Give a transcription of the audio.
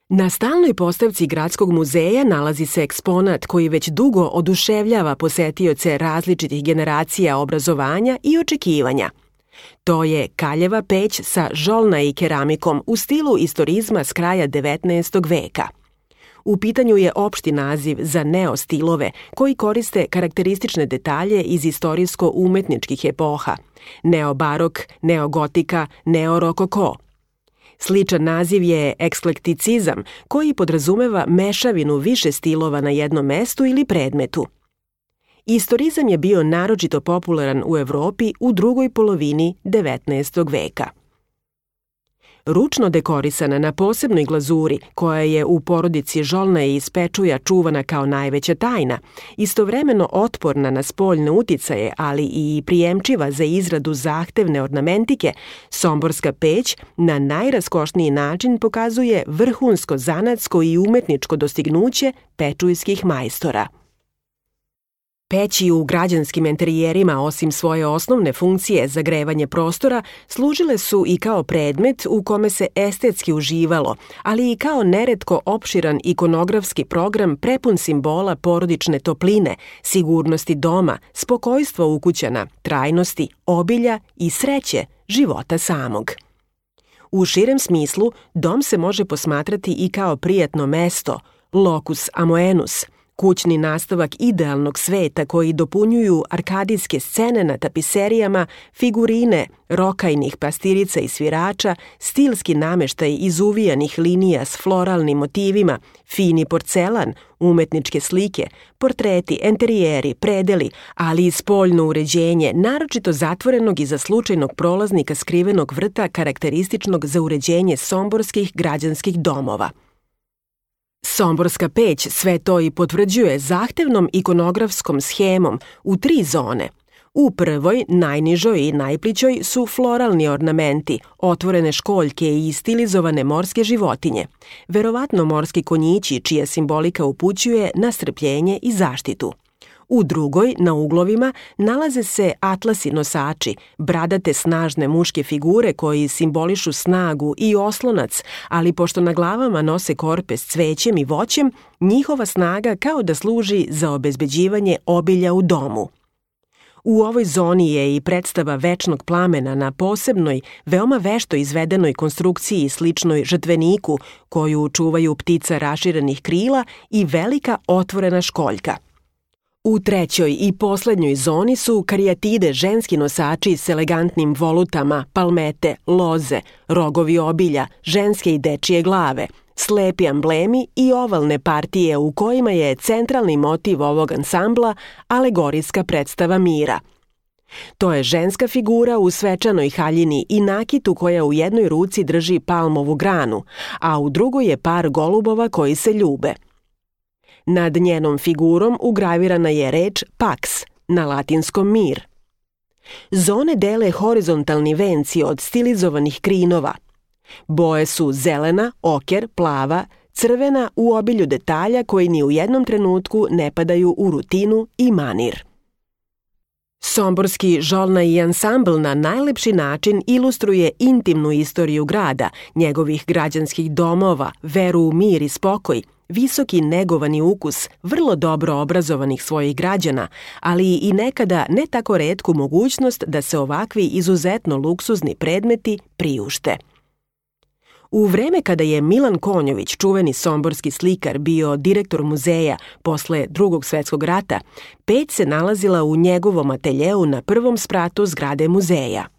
Na stalnoj postavci Gradskog muzeja nalazi se eksponat koji već dugo oduševljava posetioce različitih generacija obrazovanja i očekivanja. To je kaljeva peć sa žolna i keramikom u stilu istorizma s kraja 19. veka. U pitanju je opšti naziv za neostilove koji koriste karakteristične detalje iz istorijsko-umetničkih epoha – neobarok, neogotika, neorokoko. Sličan naziv je eksklekticizam koji podrazumeva mešavinu više stilova na jednom mestu ili predmetu. Istorizam je bio naročito popularan u Evropi u drugoj polovini 19. veka. Ručno dekorisana na posebnoj glazuri, koja je u porodici žolna i iz pečuja čuvana kao najveća tajna, istovremeno otporna na spoljne uticaje, ali i prijemčiva za izradu zahtevne ornamentike, somborska peć na najraskošniji način pokazuje vrhunsko zanatsko i umetničko dostignuće pečujskih majstora. Peći u građanskim enterijerima, osim svoje osnovne funkcije za grevanje prostora, služile su i kao predmet u kome se estetski uživalo, ali i kao neretko opširan ikonografski program prepun simbola porodične topline, sigurnosti doma, spokojstva ukućana, trajnosti, obilja i sreće života samog. U širem smislu, dom se može posmatrati i kao prijatno mesto, locus amoenus, kućni nastavak idealnog sveta koji dopunjuju arkadijske scene na tapiserijama, figurine, rokajnih pastirica i svirača, stilski nameštaj izuvijanih linija s floralnim motivima, fini porcelan, umetničke slike, portreti, enterijeri, predeli, ali i spoljno uređenje, naročito zatvorenog i za slučajnog prolaznika skrivenog vrta karakterističnog za uređenje somborskih građanskih domova. Somborska peć sve to i potvrđuje zahtevnom ikonografskom shemom u 3 zone. U prvoj, najnižoj i najplićoj su floralni ornamenti, otvorene školjke i stilizovane morske životinje, verovatno morski konjići čija simbolika upućuje na strpljenje i zaštitu. U drugoj, na uglovima, nalaze se atlasi nosači, bradate snažne muške figure koji simbolišu snagu i oslonac, ali pošto na glavama nose korpe s cvećem i voćem, njihova snaga kao da služi za obezbeđivanje obilja u domu. U ovoj zoni je i predstava večnog plamena na posebnoj, veoma vešto izvedenoj konstrukciji sličnoj žrtveniku, koju čuvaju ptica raširenih krila i velika otvorena školjka. U trećoj i poslednjoj zoni su karijatide, ženski nosači s elegantnim volutama, palmete, loze, rogovi obilja, ženske i dečije glave, slepi amblemi i ovalne partije u kojima je centralni motiv ovog ansambla alegorijska predstava mira. To je ženska figura u svečanoj haljini i nakitu koja u jednoj ruci drži palmovu granu, a u drugoj je par golubova koji se ljube. Nad njenom figurom ugravirana je reč pax, na latinskom mir. Zone dele horizontalni venci od stilizovanih krinova. Boje su zelena, oker, plava, crvena u obilju detalja koji ni u jednom trenutku ne padaju u rutinu i manir. Somborski žolna i ansambl na najlepši način ilustruje intimnu istoriju grada, njegovih građanskih domova, veru u mir i spokoj, visoki negovani ukus vrlo dobro obrazovanih svojih građana, ali i nekada ne tako retku mogućnost da se ovakvi izuzetno luksuzni predmeti priušte. U vreme kada je Milan Konjović, čuveni somborski slikar, bio direktor muzeja posle Drugog svetskog rata, peć se nalazila u njegovom ateljeu na prvom spratu zgrade muzeja.